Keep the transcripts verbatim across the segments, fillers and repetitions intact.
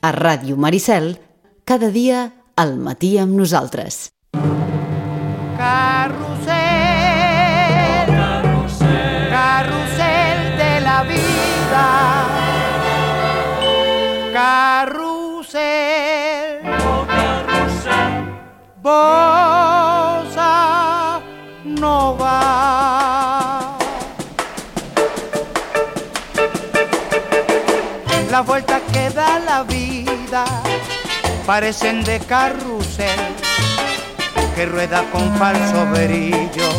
A Ràdio Maricel, cada dia al matí amb nosaltres. Carrusel, carrusel, carrusel de la vida. Carrusel, oh carrusel, bossa nova. La vuelta que da la vida parecen de carrusel que rueda con falso brillo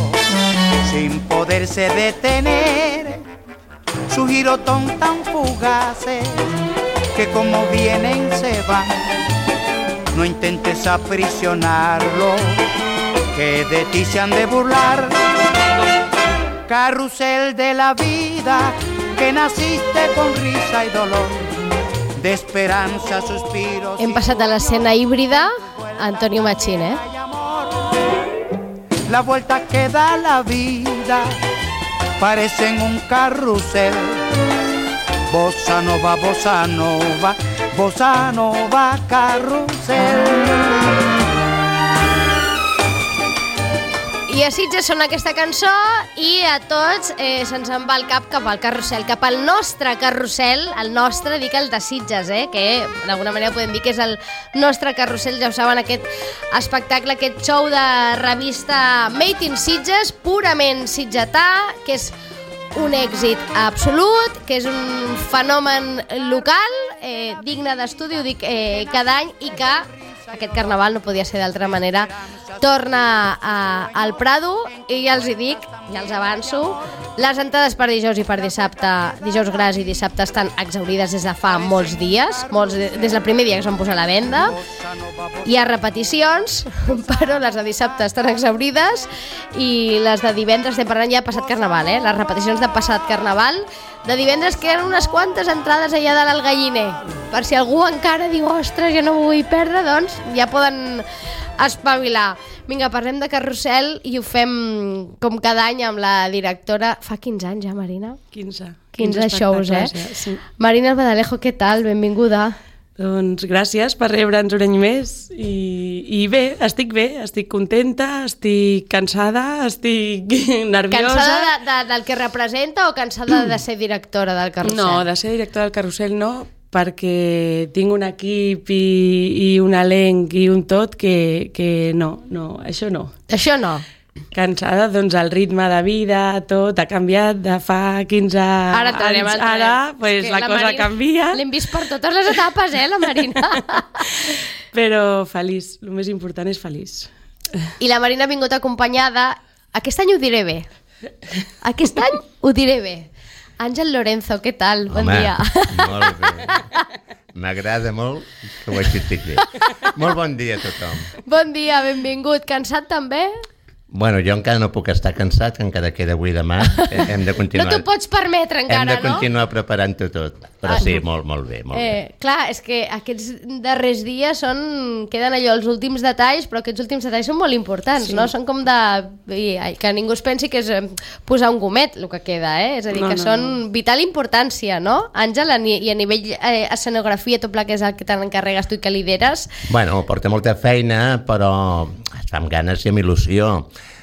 sin poderse detener. Su girotón tan fugaces que como vienen se van. No intentes aprisionarlo, que de ti se han de burlar. Carrusel de la vida, que naciste con risa y dolor, de esperanza, suspiros. Hem passat a l'escena híbrida, Antonio Machín, eh? La vuelta que da la vida parecen un carrusel. Bossa nova, bossa nova, bossa nova, carrusel. I a Sitges sona aquesta cançó i a tots eh, se'ns en va el cap cap al carrusel, cap al nostre carrusel, el nostre, dic el de Sitges, eh, que d'alguna manera podem dir que és el nostre carrusel, ja ho saben, aquest espectacle, aquest show de revista Made in Sitges, purament sitgetà, que és un èxit absolut, que és un fenomen local, eh, digne d'estudi, ho dic eh, cada any, i que aquest carnaval no podia ser d'altra manera, torna a, al Prado, i ja els hi dic, ja els avanço, les entrades per dijous i per dissabte, dijous gras i dissabte, estan exaurides des de fa molts dies, molts, des del primer dia que es van posar a la venda. Hi ha repeticions, però les de dissabte estan exaurides, i les de divendres, estem parlant ja passat carnaval, eh? Les repeticions de passat carnaval, de divendres queden unes quantes entrades allà dalt al galliner, per si algú encara diu, ostres, jo no m'ho vull perdre, doncs ja poden espavilar. Vinga, parlem de carrusel i ho fem com cada any amb la directora. Fa quinze anys ja, Marina? quinze. quinze shows, eh? Sí. Marina Albadalejo, què tal? Benvinguda. Doncs gràcies per rebre'ns un any més i, i bé, estic bé, estic contenta, estic cansada, estic nerviosa. Cansada de, de, del que representa o cansada de ser directora del carrusel? No, de ser directora del carrusel no, perquè tinc un equip i, i un elenc i un tot que, que no, no, això no. Això no? Cansada, doncs el ritme de vida, tot ha canviat de fa quinze ara tarem, anys. Ara, ara pues, la, la cosa Marina, canvia. L'hem vist per totes les etapes, eh, la Marina? Però feliç, el més important és feliç. I la Marina ha vingut acompanyada, aquest any ho diré bé, aquest any ho diré bé. Àngel Lorenzo, què tal? Bon Home, dia. Molt bé. M'agrada molt que ho estic bé. Molt bon dia a tothom. Bon dia, benvingut. Cansat també? Bueno, jo encara no puc estar cansat, que encara queda avui demà. Hem de continuar... No t'ho pots permetre encara, no? Hem de continuar no? preparant-ho tot. Però sí, molt, molt bé, molt eh, bé. Clar, és que aquests darrers dies són... queden allò els últims detalls, però aquests últims detalls són molt importants, sí. No? Són com de... que ningú es pensi que és posar un gomet, el que queda, eh? És a dir, no, que no, són no. vital importància, no? Àngel, i a nivell eh, escenografia, tot el que és el que t'encarregues tu i que lideres... Bueno, porta molta feina, però es fa amb ganes i amb il·lusió.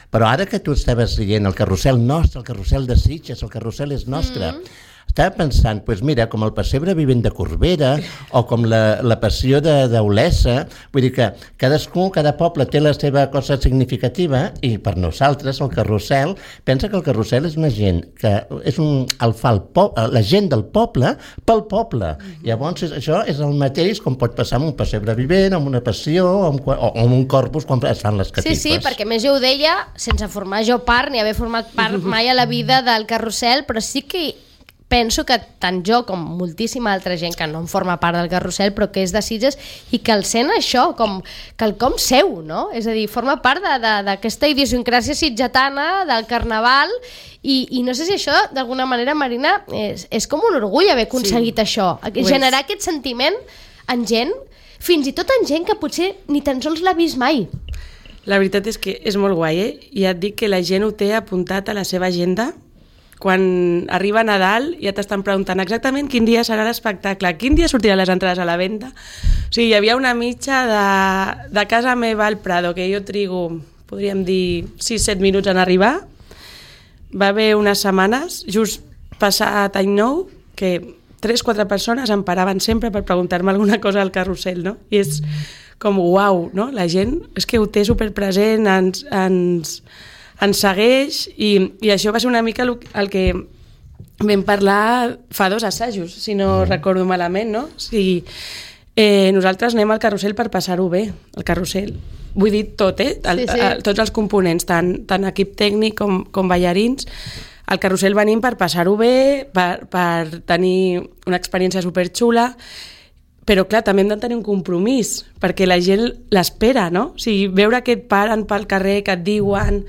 Però ara que tu estaves dient el carrusel nostre, el carrusel de Sitges, el carrusel és nostre, mm-hmm. estava pensant, doncs mira, com el pessebre vivent de Corbera o com la, la passió d'Olesa, vull dir que cadascú, cada poble té la seva cosa significativa i per nosaltres el carrusel, pensa que el carrusel és una gent que és un, el fa el po, la gent del poble pel poble. Mm-hmm. Llavors això és el mateix com pot passar amb un pessebre vivent, amb una passió o amb, o amb un corpus quan es fan les catifes. Sí, sí, perquè més jo ho deia sense formar jo part ni haver format part mai a la vida del carrusel, però sí que penso que tant jo com moltíssima altra gent que no en forma part del carrusel però que és de Sitges i que el sent això com quelcom seu, no? És a dir, forma part d'aquesta idiosincràsia sitgetana, del carnaval i, i no sé si això d'alguna manera, Marina, és, és com un orgull haver aconseguit sí. això, generar aquest sentiment en gent, fins i tot en gent que potser ni tan sols l'ha vist mai. La veritat és que és molt guai, eh? I ja et dic que la gent ho té apuntat a la seva agenda quan arriba Nadal ja t'estan preguntant exactament quin dia serà l'espectacle, quin dia sortiran les entrades a la venda. O sigui, hi havia una mitja de, de casa meva al Prado, que jo trigo, podríem dir, sis set minuts en arribar. Va haver unes setmanes, just passat any nou, que tres quatre persones em paraven sempre per preguntar-me alguna cosa al carrusel, no? I és com, uau, no? La gent és que ho té superpresent, ens, ens, ens segueix, i, i això va ser una mica el, el que vam parlar fa dos assajos, si no mm. recordo malament, no? O sigui, eh, nosaltres anem al carrusel per passar-ho bé, el carrusel. Vull dir tot, eh? El, sí, sí. El, tots els components, tant, tant equip tècnic com, com ballarins. Al carrusel venim per passar-ho bé, per, per tenir una experiència superxula, però clar, també hem de tenir un compromís, perquè la gent l'espera, no? O sigui, veure que et paren pel carrer, que et diuen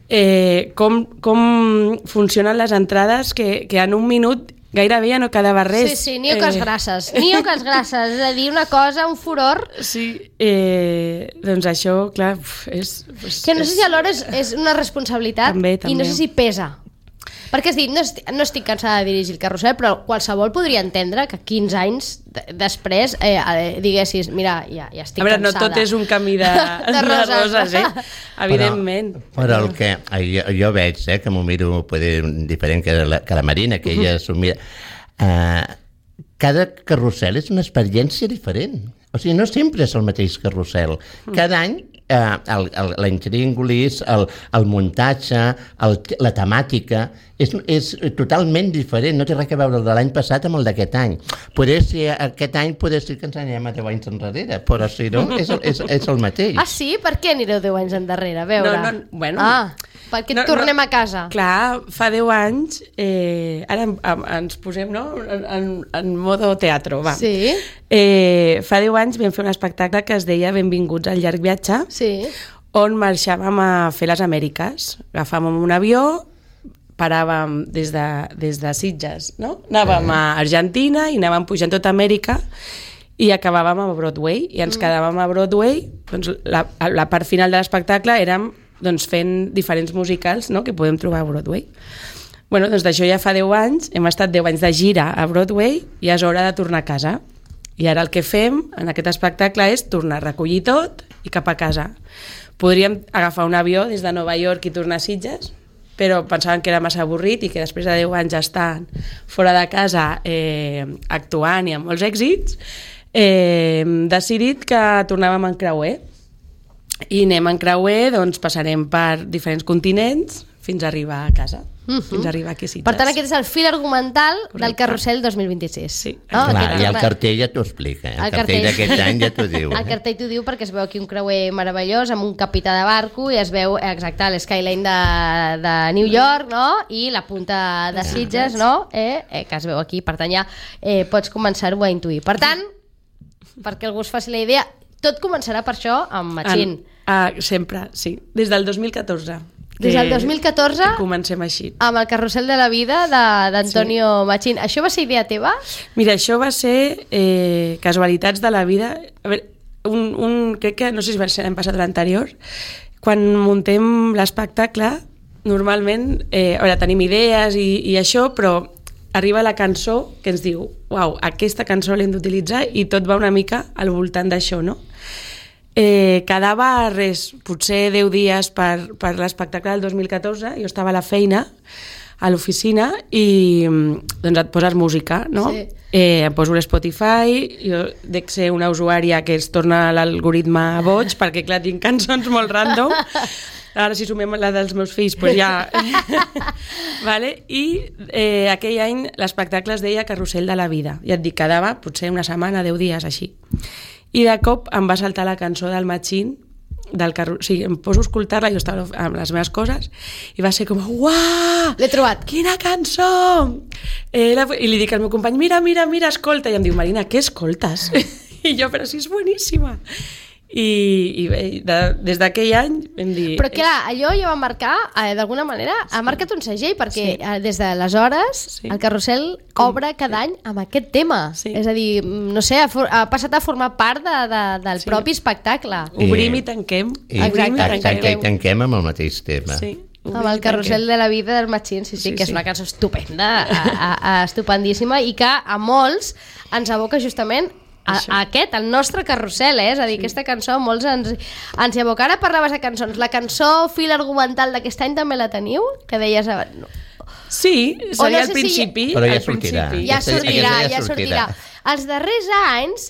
eh, com, com funcionen les entrades, que, que en un minut gairebé ja no quedava res. Sí, sí, ni oques eh... grasses, ni oques grasses, és a dir, una cosa, un furor. Sí, eh, doncs això, clar, és... és que no sé si alhora és, és una responsabilitat també, també. I no sé si pesa. Perquè has dit, no estic, no estic cansada de dirigir el carrusel, però qualsevol podria entendre que quinze anys d- després eh, diguessis, mira, ja, ja estic a veure, cansada. No tot és un camí de, de, roses. de roses, eh? Evidentment. Però, però el que jo, jo veig, eh, que m'ho miro poder, diferent que la, que la Marina, que ella s'ho mira, uh, cada carrusel és una experiència diferent. O sigui, no sempre és el mateix carrusel. Cada any eh, el, el, la intríngulis, el, el muntatge, el, la temàtica, és, és totalment diferent, no té res a veure el de l'any passat amb el d'aquest any. Poder ser, aquest any poder ser que ens anem a deu anys enrere, però si no, és el, és, és el mateix. Ah, sí? Per què anireu deu anys endarrere? A veure. No, no, bueno... Ah, perquè no, tornem no, a casa. Clar, fa deu anys, eh, ara en, en, ens posem no? en, en modo teatro, va. Sí. Eh, fa deu anys vam fer un espectacle que es deia Benvinguts al llarg viatge, sí. on marxàvem a fer les Amèriques. Agafàvem un avió, paràvem des de, des de Sitges, no? Anàvem a Argentina i anàvem pujant tota Amèrica i acabàvem a Broadway i ens mm. quedàvem a Broadway. Doncs la, la part final de l'espectacle érem doncs, fent diferents musicals, no? Que podem trobar a Broadway. Bueno, doncs d'això ja fa deu anys, hem estat deu anys de gira a Broadway i és hora de tornar a casa. I ara el que fem en aquest espectacle és tornar a recollir tot i cap a casa. Podríem agafar un avió des de Nova York i tornar a Sitges, però pensaven que era massa avorrit i que després de deu anys estant fora de casa eh, actuant i amb molts èxits, eh, hem decidit que tornàvem en creuer. I anem en creuer, doncs passarem per diferents continents fins a arribar a casa. Uh-huh. Fins a arribar aquí a Sitges. Per tant, aquest és el fil argumental Correcte. Del Carrusel dos mil vint-i-sis. Sí. No? Clar, i el cartell ja t'ho explica. El, el cartell, cartell d'aquest any ja t'ho diu. El cartell t'ho diu perquè es veu aquí un creuer meravellós amb un capità de barco i es veu exacte l'skyline de, de New York, no? I la punta de Sitges, no? Eh, eh, que es veu aquí. Per tant, ja eh, pots començar-ho a intuir. Per tant, perquè algú es faci la idea, tot començarà per això amb Machín. Ah, sempre, sí. Des del dos mil catorze. Des del dos mil catorze comencem així. Amb el Carrusel de la Vida d'Antonio sí. Machín. Això va ser idea teva? Mira, això va ser eh, casualitats de la vida. A veure, un, un, crec que, no sé si va ser l'any passat o l'anterior, quan muntem l'espectacle, normalment, eh, a veure, tenim idees i, i això, però arriba la cançó que ens diu, uau, aquesta cançó l'hem d'utilitzar i tot va una mica al voltant d'això, no? Eh, quedava res, potser deu dies per, per l'espectacle del dos mil catorze, jo estava a la feina, a l'oficina, i doncs et poses música, no? Sí. Eh, em poso l'Spotify, jo dec ser una usuària que es torna l'algoritme boig, perquè clar, tinc cançons molt random, ara si sumem la dels meus fills, doncs ja... vale? I eh, aquell any l'espectacle es deia Carrusel de la Vida, ja et dic, quedava potser una setmana, deu dies, així. I de cop em va saltar la cançó del Machín, del carrusel, o sigui, em poso a escoltar-la, jo estava amb les meves coses, i va ser com, uah! L'he trobat! Quina cançó! Eh, la, I li dic al meu company, mira, mira, mira, escolta, i em diu, Marina, què escoltes? I jo, però si és boníssima! I, i bé, de, des d'aquell any vam dir... Però clar, allò ja va marcar, eh, d'alguna manera, sí. ha marcat un segell, perquè sí. eh, des d'aleshores sí. el Carrusel Com? obre cada any amb aquest tema. Sí. És a dir, no sé, ha, for, ha passat a formar part de, de, del sí. propi espectacle. I, Obrim i tanquem. I, Obrim i tanquem. I tanquem amb el mateix tema. Sí. Amb el carrusel de la vida del Machín, sí, sí, sí, que és una cançó estupenda, a, a, a, estupendíssima, i que a molts ens aboca justament a, a aquest, el nostre carrusel, eh? És a dir, sí. Aquesta cançó a molts ens, ens hi aboca. Ara parlaves de cançons, la cançó fil argumental d'aquest any també la teniu? Que deies... No. Sí, seria al no sé principi. Si... Però ja sortirà. Ja sortirà, ja sortirà. Els darrers anys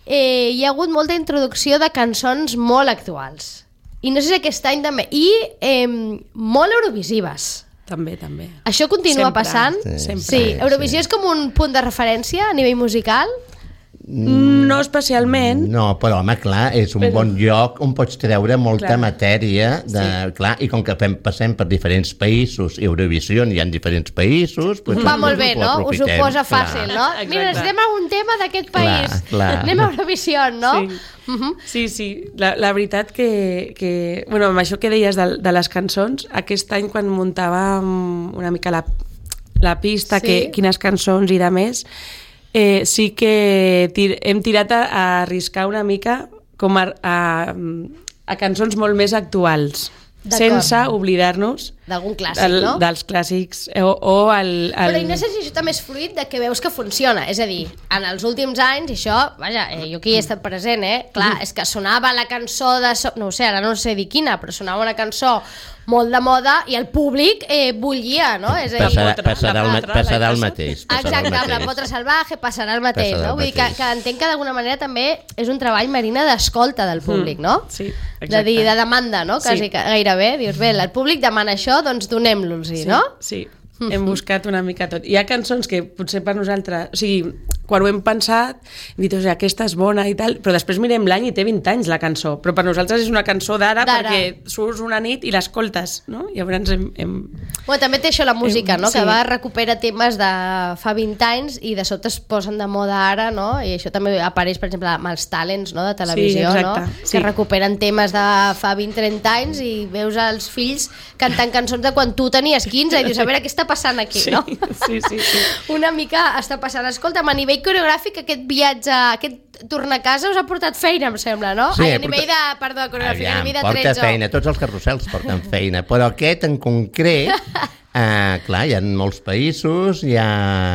eh, hi ha hagut molta introducció de cançons molt actuals. I no sé si aquest any també. I eh, molt eurovisives. També, també. Això continua sempre, passant? Sí, sempre. Sí. Eurovisió sí. És com un punt de referència a nivell musical? Mm, no especialment. No, però home, clar, és un però... bon lloc on pots treure molta clar. matèria de, sí. clar, i com que fem, passem per diferents països, Eurovisió hi ha diferents països, pues, va molt bé, no? Us ho posa fàcil, clar. No? Exacte. Mira, necessitem un tema d'aquest país, clar, clar. Anem a Eurovisió, no? Sí. Uh -huh. Sí, sí, la, la veritat que, que bueno, amb això que deies de, de les cançons, aquest any quan muntàvem una mica la, la pista, sí. que, quines cançons i de més, Eh, sí que tir hem tirat a, a arriscar una mica com a, a, a cançons molt més actuals, sense oblidar-nos d'algun clàssic, del, no? dels clàssics o, o el, el... Però no sé si això també és fruit de que veus que funciona, és a dir, en els últims anys, i això, vaja, eh, jo aquí he estat present, eh? Clar, és que sonava la cançó de... So no ho sé, ara no sé dir quina, però sonava una cançó molt de moda i el públic eh, bullia, no? És a dir, passarà, passarà, el, passarà el mateix. Passarà exacte, el mateix. amb la Potra Salvaje passarà el mateix, passarà no? El Vull dir que, que entenc que d'alguna manera també és un treball, Marina, d'escolta del públic, no? Sí, exacte. De dir, de demanda, no? Quasi, sí. Gairebé. Dius, bé, el públic demana això, doncs donem-los-hi, sí, no? Sí, hem buscat una mica tot. Hi ha cançons que potser per nosaltres... O sigui, quan ho hem pensat, hem dit, o sigui, aquesta és bona i tal, però després mirem l'any i té vint anys la cançó, però per nosaltres és una cançó d'ara perquè surts una nit i l'escoltes, no? I llavors hem... hem... Bueno, també té això la música, hem, no? Sí. Que va recupera temes de fa vint anys i de sobte es posen de moda ara, no? I això també apareix, per exemple, amb els talents, no? De televisió, sí, no? Sí. Que recuperen temes de fa vint trenta anys i veus els fills cantant cançons de quan tu tenies quinze i dius, a veure, què està passant aquí, sí, no? Sí, sí, sí. Una mica està passant. Escolta'm, a nivell coreogràfic, aquest viatge, aquest tornar a casa us ha portat feina, em sembla, no? Sí, Ai, a nivell porta... de, perdó, coreogràfic, Aviam, a nivell de porta trets. feina, tots els carrusels porten feina, però aquest en concret, eh, clar, hi ha molts països, hi ha,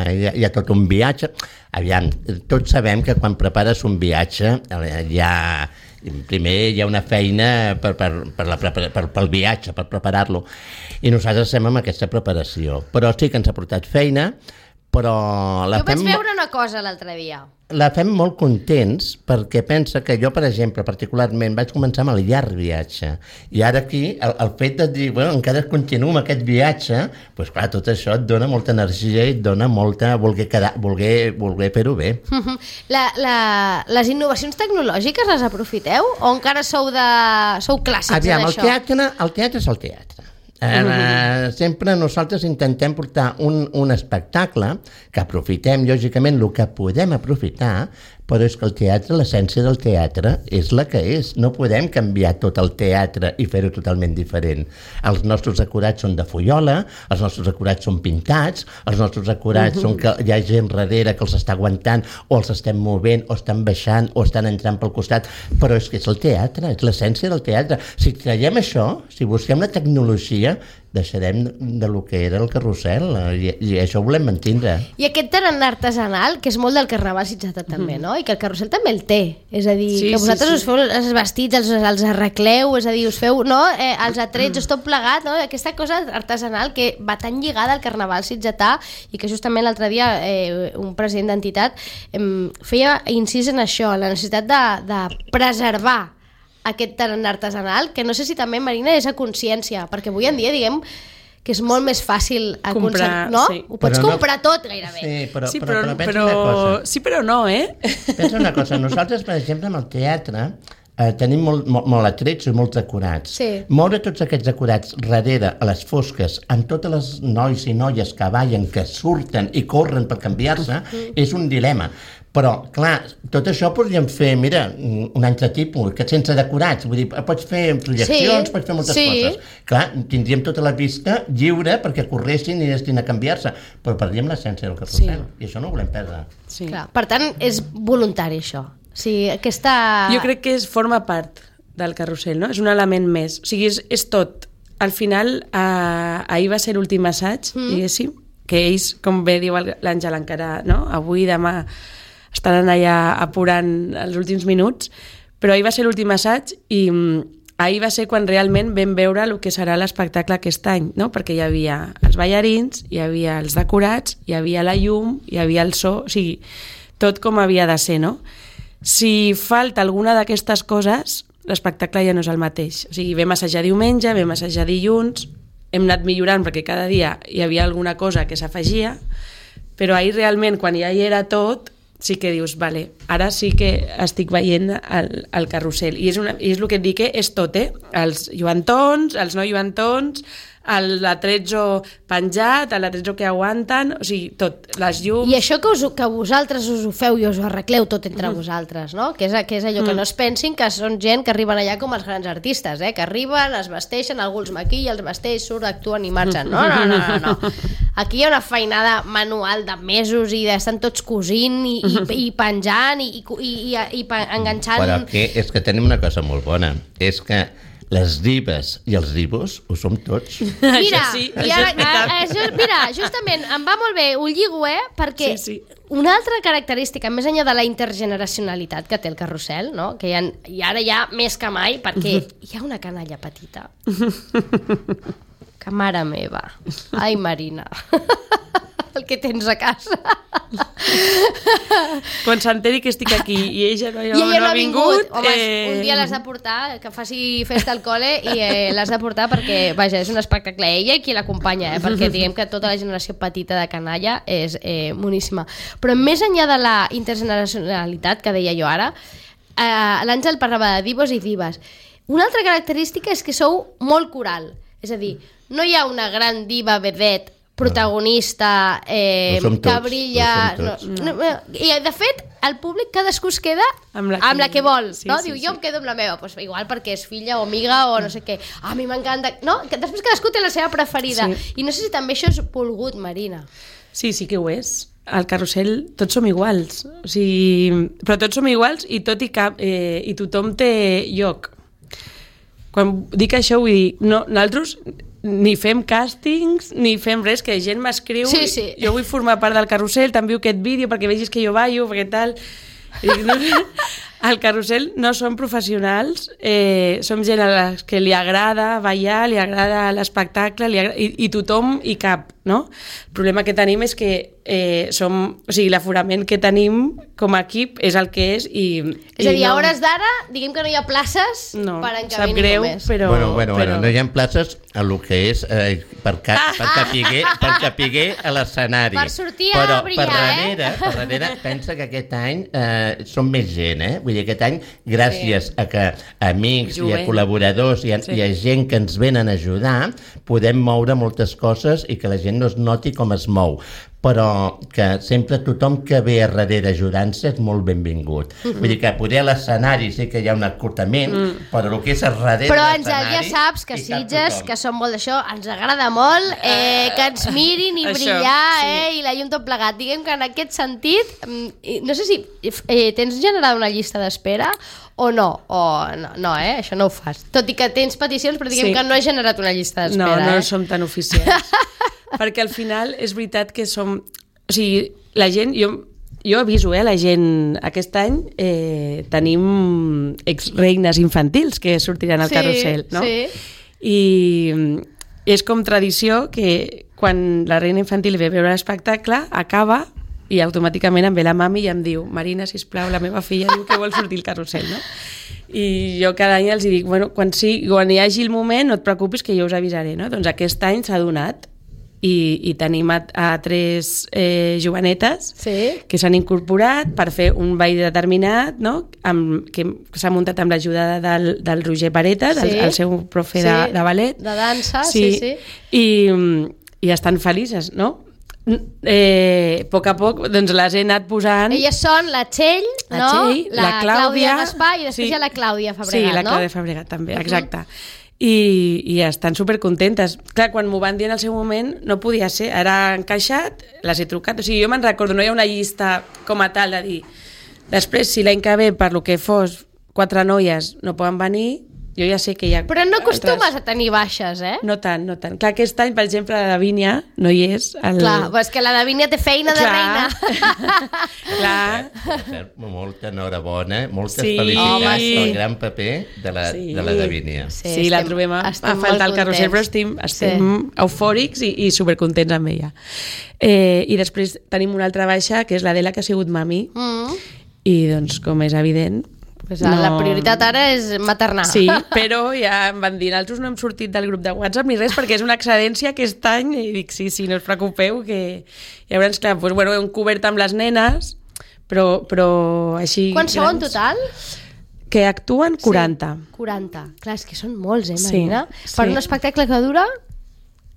hi, ha, hi ha tot un viatge. Aviam, tots sabem que quan prepares un viatge, hi ha... primer hi ha una feina per, per, per la, per, per, pel viatge, per preparar-lo, i nosaltres estem amb aquesta preparació, però sí que ens ha portat feina, però la jo vaig fem... veure una cosa l'altre dia. La fem molt contents perquè pensa que jo, per exemple, particularment vaig començar amb el llarg viatge i ara aquí el, el fet de dir, bueno, encara continuo amb aquest viatge, doncs clar, tot això et dona molta energia i et dona molta voler, quedar, voler, voler fer-ho bé. La, la, les innovacions tecnològiques les aprofiteu o encara sou, de, sou clàssics Aviam, en el això? Teatre, el teatre és el teatre. Eh, uh, sempre nosaltres intentem portar un, un espectacle que aprofitem, lògicament, el que podem aprofitar, però és que el teatre, l'essència del teatre és la que és. No podem canviar tot el teatre i fer-ho totalment diferent. Els nostres acurats són de fullola, els nostres acurats són pintats, els nostres acurats uh-huh. són que hi ha gent darrere que els està aguantant o els estem movent o estan baixant o estan entrant pel costat, però és que és el teatre, és l'essència del teatre. Si traiem això, si busquem la tecnologia, deixarem de lo que era el carrusel i, i això ho volem mantindre. I aquest tarannà artesanal, que és molt del carnaval sitjata també, mm. no? I que el carrusel també el té, és a dir, sí, que vosaltres sí, sí. us feu els vestits, els, els arregleu, és a dir, us feu, no? Eh, els atrets, mm. tot plegat, no? Aquesta cosa artesanal que va tan lligada al carnaval sitjatà i que justament l'altre dia eh, un president d'entitat eh, feia incís en això, la necessitat de, de preservar aquest tarannà artesanal, que no sé si també, Marina, és a consciència, perquè avui en dia, diguem, que és molt més fàcil comprar, no? Sí. Ho pots però comprar no... tot, gairebé. Sí, però, sí, però, però, però, però, una cosa. Sí, però no, eh? Pensa una cosa, nosaltres, per exemple, amb el teatre, eh, tenim molt, molt, molt atrets i molts acurats. Sí. Moure tots aquests acurats darrere, a les fosques, amb totes les nois i noies que ballen, que surten i corren per canviar-se, mm. és un dilema. Però, clar, tot això podríem fer, mira, un altre tipus, que sense decorats, vull dir, pots fer projeccions, sí, pots fer moltes sí. coses. Clar, tindríem tota la vista lliure perquè corressin i anessin a canviar-se, però perdríem l'essència del carrusel, sí. i això no ho volem perdre. Sí. Clar, per tant, és voluntari això. O sigui, aquesta... Jo crec que és, forma part del carrusel, no? És un element més. O sigui, és, és tot. al final, eh, ahir va ser l'últim assaig, mm. diguéssim, que ells, com bé diu l'Àngel, encara, no? Avui, demà, estaran allà apurant els últims minuts, però ahir va ser l'últim assaig i ahir va ser quan realment vam veure el que serà l'espectacle aquest any, no? Perquè hi havia els ballarins, hi havia els decorats, hi havia la llum, hi havia el so, o sigui, tot com havia de ser, no? Si falta alguna d'aquestes coses, l'espectacle ja no és el mateix. O sigui, vam assajar diumenge, vam assajar dilluns, hem anat millorant perquè cada dia hi havia alguna cosa que s'afegia, però ahir realment, quan ja hi era tot, sí que dius, vale, ara sí que estic veient el, el carrusel. I és, una, i és el que et dic, que és tot, eh? Els lluentons, els no lluentons, l'atrezzo penjat, l'atrezzo que aguanten, o sigui, tot, les llums... I això que, us, que vosaltres us ho feu i us ho arregleu tot entre mm. vosaltres, no? Que és, que és allò mm. que no es pensin que són gent que arriben allà com els grans artistes, eh? Que arriben, es vesteixen, algú els maquilla, els vesteix, surt, actuen i marxen. No, no, no, no, no. Aquí hi ha una feinada manual de mesos i estan tots cosint i, i, i penjant i, i, i, i enganxant... Però que és que tenim una cosa molt bona, és que les divas i els divos ho som tots. Mira, això sí, i això ara, és veritat. això, mira, justament, em va molt bé, ho lligo, eh? Perquè sí, sí. una altra característica, més enllà de la intergeneracionalitat que té el carrusel, no? Que hi ha, i ara ja més que mai, perquè hi ha una canalla petita. Que mare meva. Ai, Marina. El que tens a casa. Quan s'enteri que estic aquí i ella no, I ella no ha vingut... vingut. Home, eh... un dia l'has de portar, que faci festa al col·le i eh, l'has de portar perquè, vaja, és un espectacle ella i qui l'acompanya, eh, perquè diguem que tota la generació petita de canalla és eh, moníssima. Però més enllà de la intergeneracionalitat que deia jo ara, eh, l'Àngel parlava de divos i dives. Una altra característica és que sou molt coral, és a dir, no hi ha una gran diva vedet protagonista eh, no que brilla no no, no. I de fet el públic cadascú es queda amb la que, amb la que vol, sí, no? Sí, diu, jo sí. em quedo amb la meva, pues, igual perquè és filla o amiga o no sé què, a mi m'encanta, no? Que després cadascú té la seva preferida, sí. I no sé si també això és volgut, Marina. Sí, sí que ho és. Al carrusel tots som iguals, o sigui, però tots som iguals i tot i cap eh, i tothom té lloc. Quan dic això vull dir, no, nosaltres ni fem càstings, ni fem res, que gent m'escriu, sí, sí. Jo vull formar part del carrusel, t'envio aquest vídeo perquè vegis que jo ballo, perquè tal... I dic, no, al carrusel no som professionals, eh, som gent a la que li agrada ballar, li agrada l'espectacle, li agrada, i, i tothom hi cap, no? El problema que tenim és que eh, som, o sigui, l'aforament que tenim com a equip és el que és i... És a dir, no, a hores d'ara, diguem que no hi ha places no, per encabir ningú greu, més. Però, bueno, bueno, però... bueno, no hi ha places a lo que és eh, per, ca, per, capiguer, per capiguer a l'escenari. Per sortir a però brillar, per darrere, eh? per darrere, pensa que aquest any eh, som més gent, eh? Vull dir, aquest any, gràcies sí. a que amics Jovent. I a col·laboradors i a, sí. i a gent que ens venen a ajudar, podem moure moltes coses i que la gent no es noti com es mou. Però que sempre tothom que ve a darrere ajudant-se és molt benvingut. Mm-hmm. Vull dir que poder a l'escenari sí que hi ha un acurtament, mm. però el que és a darrere però de l'escenari... Però ja saps que Sitges, que som molt d'això, ens agrada molt eh, que ens mirin i brillar, això, sí. eh, i la llum tot plegat. Diguem que en aquest sentit, no sé si eh, tens generat una llista d'espera o no, o no, no, eh? Això no ho fas. Tot i que tens peticions, però diguem sí. que no he generat una llista d'espera. No, no eh? som tan oficials. Perquè al final és veritat que som... O sigui, la gent... Jo, jo aviso, eh, la gent... Aquest any eh, tenim ex-reines infantils que sortiran al sí, carrusel, no? Sí. I és com tradició que quan la reina infantil ve a veure l'espectacle, acaba i automàticament em ve la mami i em diu Marina, sisplau, la meva filla diu que vol sortir al carrusel, no? I jo cada any els dic, bueno, quan, sí, quan hi hagi el moment no et preocupis que jo us avisaré, no? Doncs aquest any s'ha donat i, i tenim a, a tres eh, jovenetes sí. que s'han incorporat per fer un ball determinat, no? Amb, que s'ha muntat amb l'ajuda del, del Roger Paretas, sí. el, el seu profe sí. de, de ballet. De dansa, sí, sí. sí. I, i estan felices, no? Eh, a poc a poc doncs les he anat posant. Elles són la Txell, la, no? Txell, la, la Clàudia, Clàudia Gaspar i després sí. hi ha la Clàudia Fabregat, sí, la no? Clàudia Fabregat també, exacte. Uh-huh. I, i estan supercontentes. Clar, quan m'ho van dir en el seu moment no podia ser, ara encaixat, les he trucat, o sigui, jo me'n recordo, no hi ha una llista com a tal de dir, després si l'any que ve per lo que fos quatre noies no poden venir, jo ja sé que hi ha... Però no acostumes altres... a tenir baixes, eh? No tant, no tant. Clar, aquest any, per exemple, la Davínia no hi és. El... Clar, però és que la Davínia té feina de Clar. reina. Clar. Molta enhorabona, moltes Sí. felicitats Home, sí. pel gran paper de la, Sí. de la Davínia. Sí, sí la trobem a, a faltar al carrusel, però estem, estem sí. eufòrics i, i supercontents amb ella. Eh, I després tenim una altra baixa, que és l'Adela, que ha sigut mami, Mm. i doncs, com és evident... Pues no... La prioritat ara és maternar. Sí, però ja em van dir, nosaltres no hem sortit del grup de WhatsApp ni res, perquè és una excedència aquest any, i dic, sí, sí, no us preocupeu, que llavors, clar, doncs, bueno, hem cobert amb les nenes, però, però així... Quants sou en total? Que actuen quaranta. Sí, quaranta. Clar, és que són molts, eh, Sí, Marina? sí. Per un espectacle que dura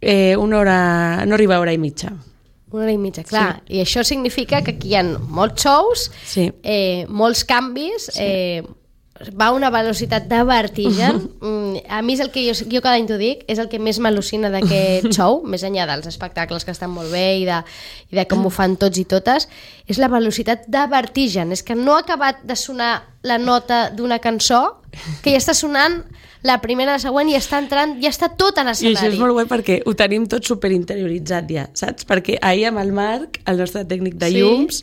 Eh, una hora, no arriba a hora i mitja. una hora i mitja, clar. Sí. I això significa que aquí hi ha molts shows, Sí. eh, molts canvis, sí. eh, va a una velocitat de vertigen. Mm, a mi és el que jo, jo cada any t'ho dic, és el que més m'al·lucina d'aquest show, més enllà dels espectacles que estan molt bé i de, i de com ho fan tots i totes, és la velocitat de vertigen. És que no ha acabat de sonar la nota d'una cançó, que ja està sonant la primera, la següent, i està entrant, ja està tot a I l'escenari. això és molt guai perquè ho tenim tot superinterioritzat ja, saps? Perquè ahir amb el Marc, el nostre tècnic de Sí. llums,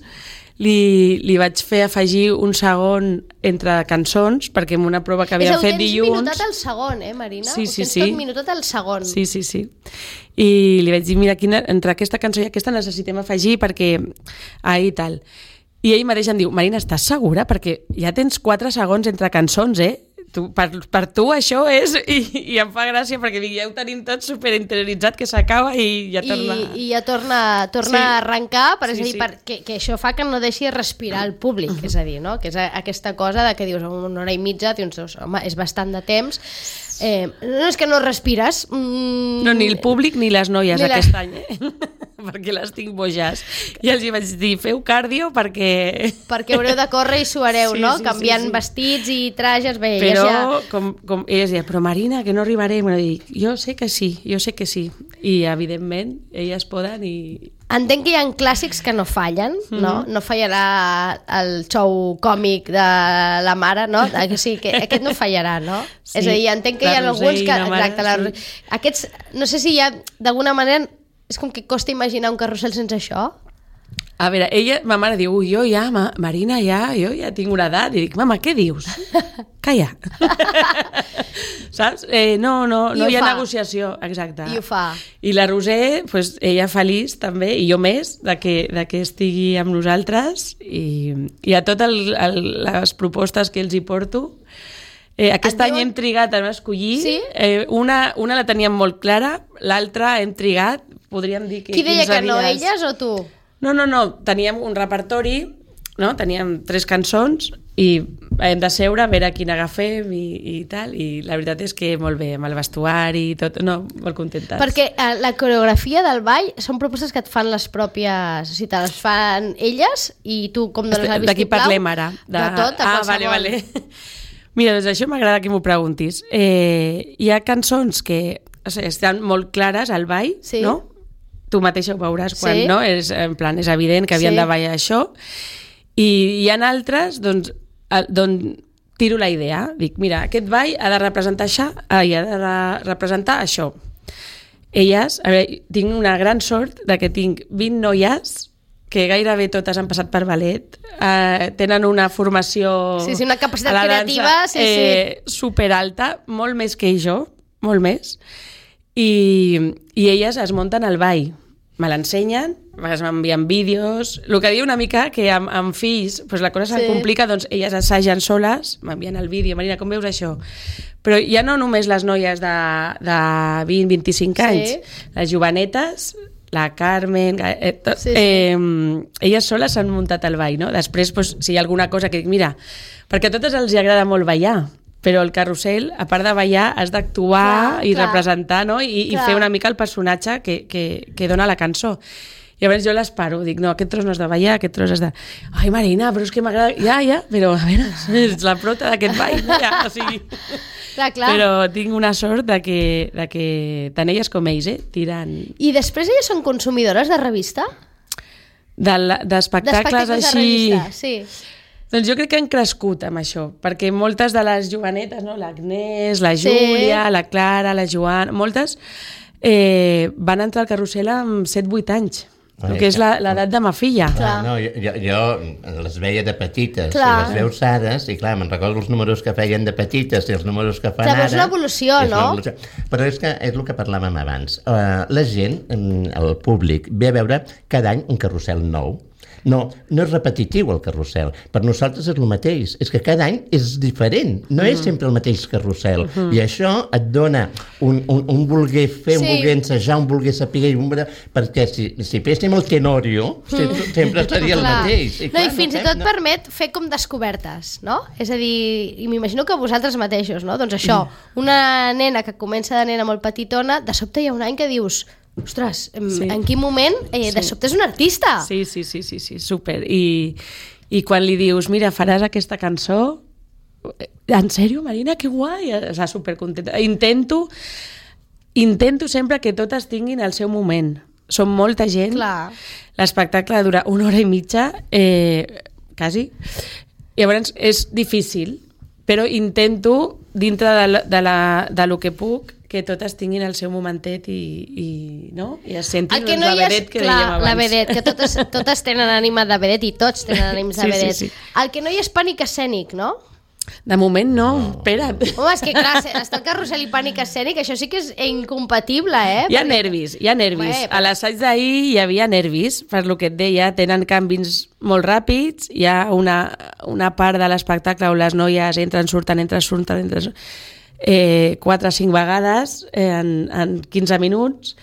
li, li vaig fer afegir un segon entre cançons, perquè en una prova que havíem fet dilluns... És minutat al segon, eh, Marina? Sí, Ho sí, tens sí. tot minutat al segon. Sí, sí, sí. I li vaig dir, mira, quina, entre aquesta cançó i aquesta necessitem afegir perquè... Ahir tal. I ell mateix em diu, Marina, estàs segura? Perquè ja tens quatre segons entre cançons, eh? Tu, per, per tu això és... I, i em fa gràcia perquè dic, ja ho tenim tot superinterioritzat, que s'acaba i ja torna... I, i ja torna, torna Sí. a arrencar, per, Sí, és a dir, sí. per, que, que això fa que no deixi respirar el públic, és a dir, no? Que és a- aquesta cosa de que dius una hora i mitja, dius, home, és bastant de temps. Eh, no és que no respires. Mm, No, ni el públic ni les noies Ni la- aquest any, eh? perquè les tinc boges. I els hi vaig dir, feu cardio perquè... Perquè haureu de córrer i suareu, Sí, no? sí, Canviant sí, sí. vestits i trajes, bé, Però, ja... com, com elles deien, però Marina, que no arribarem. I dic, jo sé que sí, jo sé que sí. I, evidentment, elles poden i... Entenc que hi ha clàssics que no fallen, no? No fallarà el show còmic de la mare, no? Que sí, que aquest no fallarà, no? Sí, és a dir, entenc que hi ha la alguns Roser i que... la mare, Exacte, la, sí. aquests, no sé si hi ha, d'alguna manera, és com que costa imaginar un carrusel sense això. A veure, ella, ma mare diu, ui, jo ja, ma, Marina, ja, jo ja tinc una edat. I dic, mama, què dius? Calla. Saps? Eh, no, no, I no ho hi ha fa. negociació, exacte. I ho fa. I la Roser, pues, ella feliç també, i jo més, de que, de que estigui amb nosaltres, i, i a totes les propostes que els hi porto. Eh, aquest Et any diuen- hem trigat a escollir. Sí? Eh, una, una la teníem molt clara, l'altra hem trigat, podríem dir que Qui deia quinze que no, dies. elles o tu? No, no, no, teníem un repertori, no? Teníem tres cançons i hem de seure a veure quina agafem i, i tal, i la veritat és que molt bé, amb el vestuari i tot, no, molt contentes. Perquè eh, la coreografia del ball són propostes que et fan les pròpies... O sigui, te les fan elles i tu com dones el De qui vistiplau? parlem ara? De, de tot, de ah, qualsevol. vale, vale. Mira, doncs això m'agrada que m'ho preguntis. Eh, hi ha cançons que o sigui, estan molt clares al ball, Sí. no? Tu mateixa ho veuràs quan, Sí. no? És, en plan, és evident que havien Sí. de ballar això. I hi ha altres, doncs, a- d'on tiro la idea. Dic, mira, aquest ball ha de representar això, ai, ha de re- representar això. Elles, a veure, tinc una gran sort de que tinc vint noies que gairebé totes han passat per ballet, eh, tenen una formació Sí, sí, una capacitat a la dansa, creativa, sí, eh, superalta, molt més que jo, molt més, i, i elles es munten al ball, me l'ensenyen, a vegades m'envien vídeos, el que diu una mica que amb, amb fills pues la cosa Sí. se'n complica, doncs elles assagen soles, m'envien el vídeo, Marina, com veus això? Però ja no només les noies de, de vint a vint-i-cinc Sí. anys, les jovenetes, la Carmen, eh, tot, Sí, sí. eh, elles soles s'han muntat al ball, no? Després, pues, si hi ha alguna cosa que dic, mira, perquè a totes els hi agrada molt ballar, però el carrusel, a part de ballar, has d'actuar Clar, i clar. representar, no? I, i Clar. fer una mica el personatge que, que, que dona la cançó. I llavors jo les paro, dic, no, aquest tros no has de ballar, aquest tros has de... Ai, Marina, però és que m'agrada... Ja, ja, però a veure, és la prota d'aquest ball, ja, o sigui... Clar, clar. Però tinc una sort de que, de que tant elles com ells, eh, tiren I després elles són consumidores de revista? de la- d'espectacles D'espectacles de així... revista, sí. Doncs jo crec que han crescut amb això, perquè moltes de les jovenetes, no? l'Agnès, la Júlia, sí. la Clara, la Joana, moltes eh, van entrar al carrusel amb set vuit anys. El que és l'edat de ma filla. Clar. No, jo, jo les veia de petites, clar. I les veus ara, i clar, me'n recordo els números que feien de petites i els números que fan clar, ara... És l'evolució, no? Evolució. Però és que és el que parlàvem abans. Uh, la gent, el públic, ve a veure cada any un carrusel nou. No, no és repetitiu el carrusel. Per nosaltres és el mateix. És que cada any és diferent. No mm. és sempre el mateix carrusel. Mm -hmm. I això et dona un, un, un voler fer, sí. un voler ensejar, un voler saber... Un... Perquè si, si féssim el Tenorio, mm. sempre seria el mateix. I, clar, no, i fins no, i tot no. permet fer com descobertes, no? És a dir, i m'imagino que vosaltres mateixos, no? Doncs això, una nena que comença de nena molt petitona, de sobte hi ha un any que dius... Ostres, sí. en quin moment eh, de sí. sobte és un artista? Sí, sí, sí, sí, sí súper. I, I quan li dius, mira, faràs aquesta cançó, en sèrio, Marina, que guai, està supercontenta. Intento, intento sempre que totes tinguin el seu moment. Som molta gent, l'espectacle dura una hora i mitja, eh, quasi, llavors és difícil, però intento, dintre de, la, de, la, de lo que puc, que totes tinguin el seu momentet i, i, no? I es sentin que no la vedet que clar, dèiem abans. La vedet, que totes, totes tenen ànima de vedet i tots tenen ànims de sí, vedet. Sí, sí. El que no hi és pànic escènic, no? De moment no, no. espera't. Home, és que clar, està el carrusel i pànic escènic, això sí que és incompatible, eh? Hi ha Perquè... nervis, hi ha nervis. Bé, però... A l'assaig d'ahir hi havia nervis, per lo que et deia, tenen canvis molt ràpids, hi ha una, una part de l'espectacle on les noies entren, surten, entren, surten, entren... Eh, quatre o cinc vegades eh, en, en quinze minuts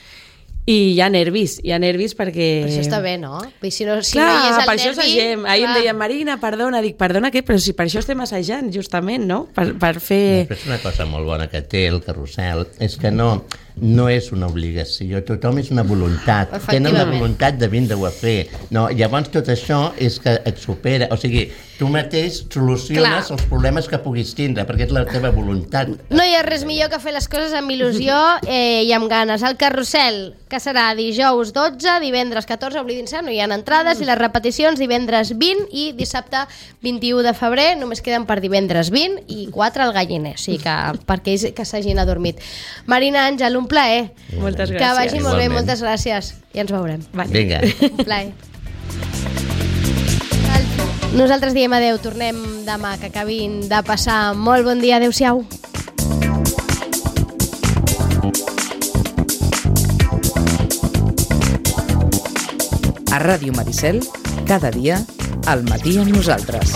i hi ha nervis, hi ha nervis perquè... Però això està bé, no? Si no, si clar, no hi és el per nervi... això assagem. Ahir clar. Em deien, Marina, perdona, dic, perdona què? Però si per això estem assajant, justament, no? Per, per fer... Després una cosa molt bona que té el carrusel és que no, no és una obligació, tothom és una voluntat. Tenen la voluntat de vindre-ho a fer. No, llavors tot això és que et supera, o sigui, tu mateix soluciones clar. Els problemes que puguis tindre, perquè és la teva voluntat. No hi ha res millor que fer les coses amb il·lusió eh, i amb ganes. El carrusel, que serà dijous dotze, divendres catorze, oblidin-se, no hi ha entrades, i les repeticions divendres vint i dissabte vint-i-u de febrer, només queden per divendres vint i quatre al Galliner, o sigui que per aquells que s'hagin adormit. Marina, Àngel, un plaer. Moltes gràcies. Que vagi molt bé, moltes gràcies. I ens veurem. Vale. Vinga. Un plaer. Nosaltres diem adeu, tornem demà, que acabin de passar molt bon dia. Adéu-siau. A Ràdio Maricel, cada dia, al matí amb nosaltres.